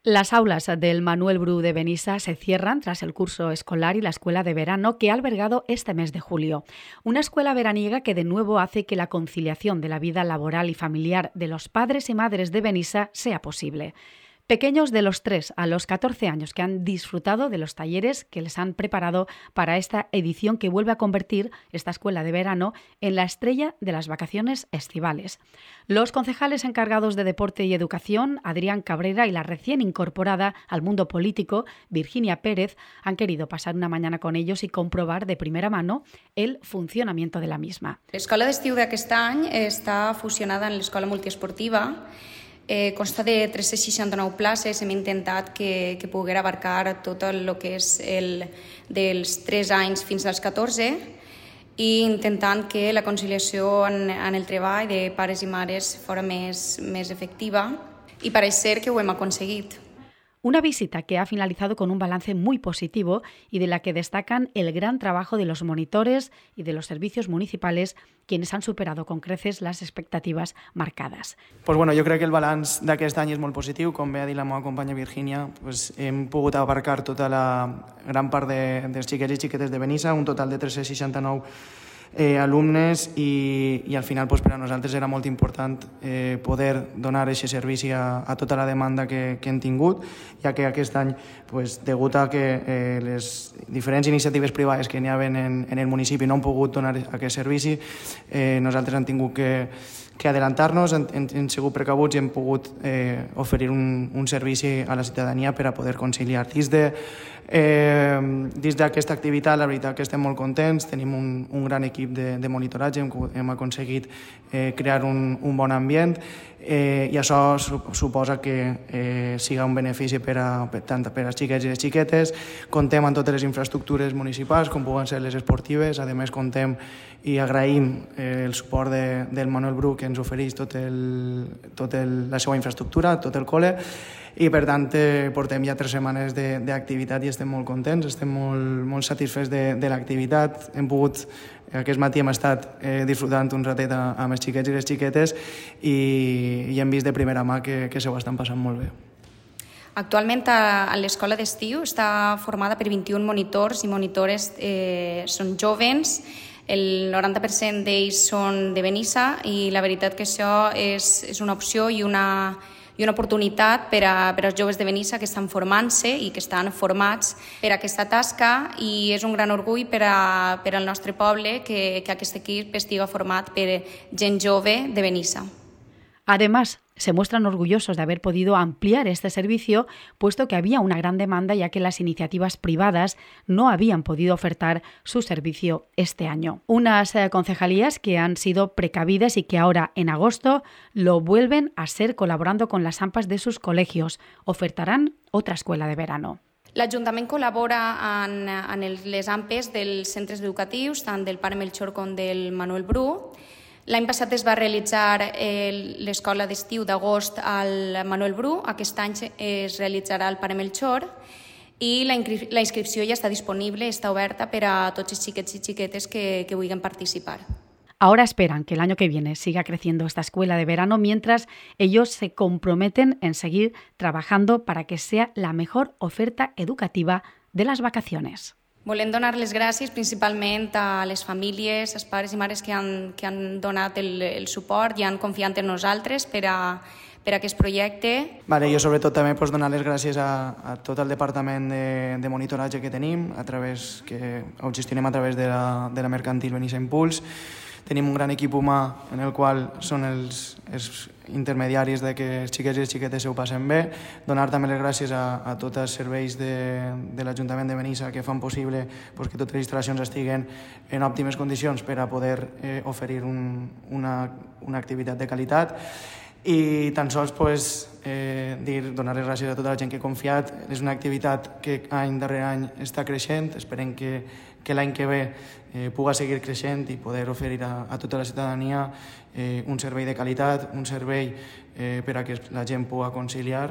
Las aulas del Manuel Bru de Benissa se cierran tras el curso escolar y la escuela de verano que ha albergado este mes de julio. Una escuela veraniega que de nuevo hace que la conciliación de la vida laboral y familiar de los padres y madres de Benissa sea posible. Pequeños de los 3 a los 14 años que han disfrutado de los talleres que les han preparado para esta edición que vuelve a convertir esta escuela de verano en la estrella de las vacaciones estivales. Los concejales encargados de Deporte y Educación, Adrián Cabrera, y la recién incorporada al mundo político, Virginia Pérez, han querido pasar una mañana con ellos y comprobar de primera mano el funcionamiento de la misma. L'escola d'estiu d'aquest any està fusionada en l'escola multiesportiva. Consta de 369 places. Hem intentat que poguera abarcar tot el que és dels 3 anys fins als 14 i intentant que la conciliació en el treball de pares i mares fora més efectiva, i pareix ser que ho hem aconseguit. Una visita que ha finalizado con un balance muy positivo y de la que destacan el gran trabajo de los monitores y de los servicios municipales, quienes han superado con creces las expectativas marcadas. Pues bueno, jo crec que el balanç d'aquest any és molt positiu. Com bé ha dit la meva companya Virginia, pues hem pogut abarcar tota la gran part dels xiquets i xiquetes de Benissa, un total de 369 alumnes, i al final pues, per a nosaltres era molt important poder donar aquest servici a tota la demanda que hem tingut, ja que aquest any, pues, degut a que les diferents iniciatives privades que n'hi havia en el municipi no han pogut donar aquest servici, nosaltres hem tingut que adelantar-nos, hem sigut precabuts i hem pogut oferir un servici a la ciutadania per a poder conciliar. Dins d'aquesta activitat, la veritat que estem molt contents, tenim un gran equip de monitoratge, hem aconseguit crear un bon ambient, i això suposa que siga un benefici tant per als xiquets i les xiquetes. Contem amb totes les infraestructures municipals, com puguen ser les esportives. A més, contem i agraïm el suport del Manuel Bru, que ens ofereix tota la seva infraestructura, tot el col·le, i per tant portem ja 3 setmanes d'activitat i estem molt contents, estem molt satisfets de l'activitat. Aquest matí hem estat disfrutant un ratet amb els xiquets i les xiquetes i hem vist de primera mà que se ho estan passant molt bé. Actualment a l'escola d'estiu està formada per 21 monitors i monitores, són jovens. El 90% d'ells són de Benissa i la veritat que això és una opció i una oportunitat per als joves de Benissa que estan formant-se i que estan formats per aquesta tasca, i és un gran orgull per al nostre poble que aquest equip estiga format per gent jove de Benissa. Además, se muestran orgullosos de haber podido ampliar este servicio, puesto que había una gran demanda, ya que las iniciativas privadas no habían podido ofertar su servicio este año. Unas concejalías que han sido precavidas y que ahora, en agosto, lo vuelven a ser colaborando con las AMPAs de sus colegios. Ofertarán otra escuela de verano. L'Ajuntament col·labora en les AMPes dels centres educatius, tant del Pare Melchor com del Manuel Bru. L'any passat es va realitzar l'escola d'estiu d'agost al Manuel Bru, aquest any es realitzarà al Pare Melchor, i la inscripció ja està disponible, està oberta per a tots els xiquets i xiquetes que vulguin participar. Ahora esperan que el año que viene siga creciendo esta escuela de verano, mientras ellos se comprometen en seguir trabajando para que sea la mejor oferta educativa de las vacaciones. Volem donar les gràcies principalment a les famílies, als pares i mares que han donat el suport i han confiat en nosaltres per a aquest projecte. Jo sobretot també donar les gràcies a tot el departament de monitoratge que tenim, que ho gestionem a través de la mercantil Benissa Impuls. Tenim un gran equip humà en el qual són els intermediaris de que els xiquets i les xiquetes ho passen bé. Donar també les gràcies a tots els serveis de l'Ajuntament de Benissa que fan possible que totes les instal·lacions estiguen en òptimes condicions per a poder oferir una activitat de qualitat. I tan sols donar les gràcies a tota la gent que ha confiat. És una activitat que any darrere any està creixent. Esperem que l'any que ve puga seguir creixent i poder oferir a tota la ciutadania un servei de qualitat, un servei per a que la gent pugui conciliar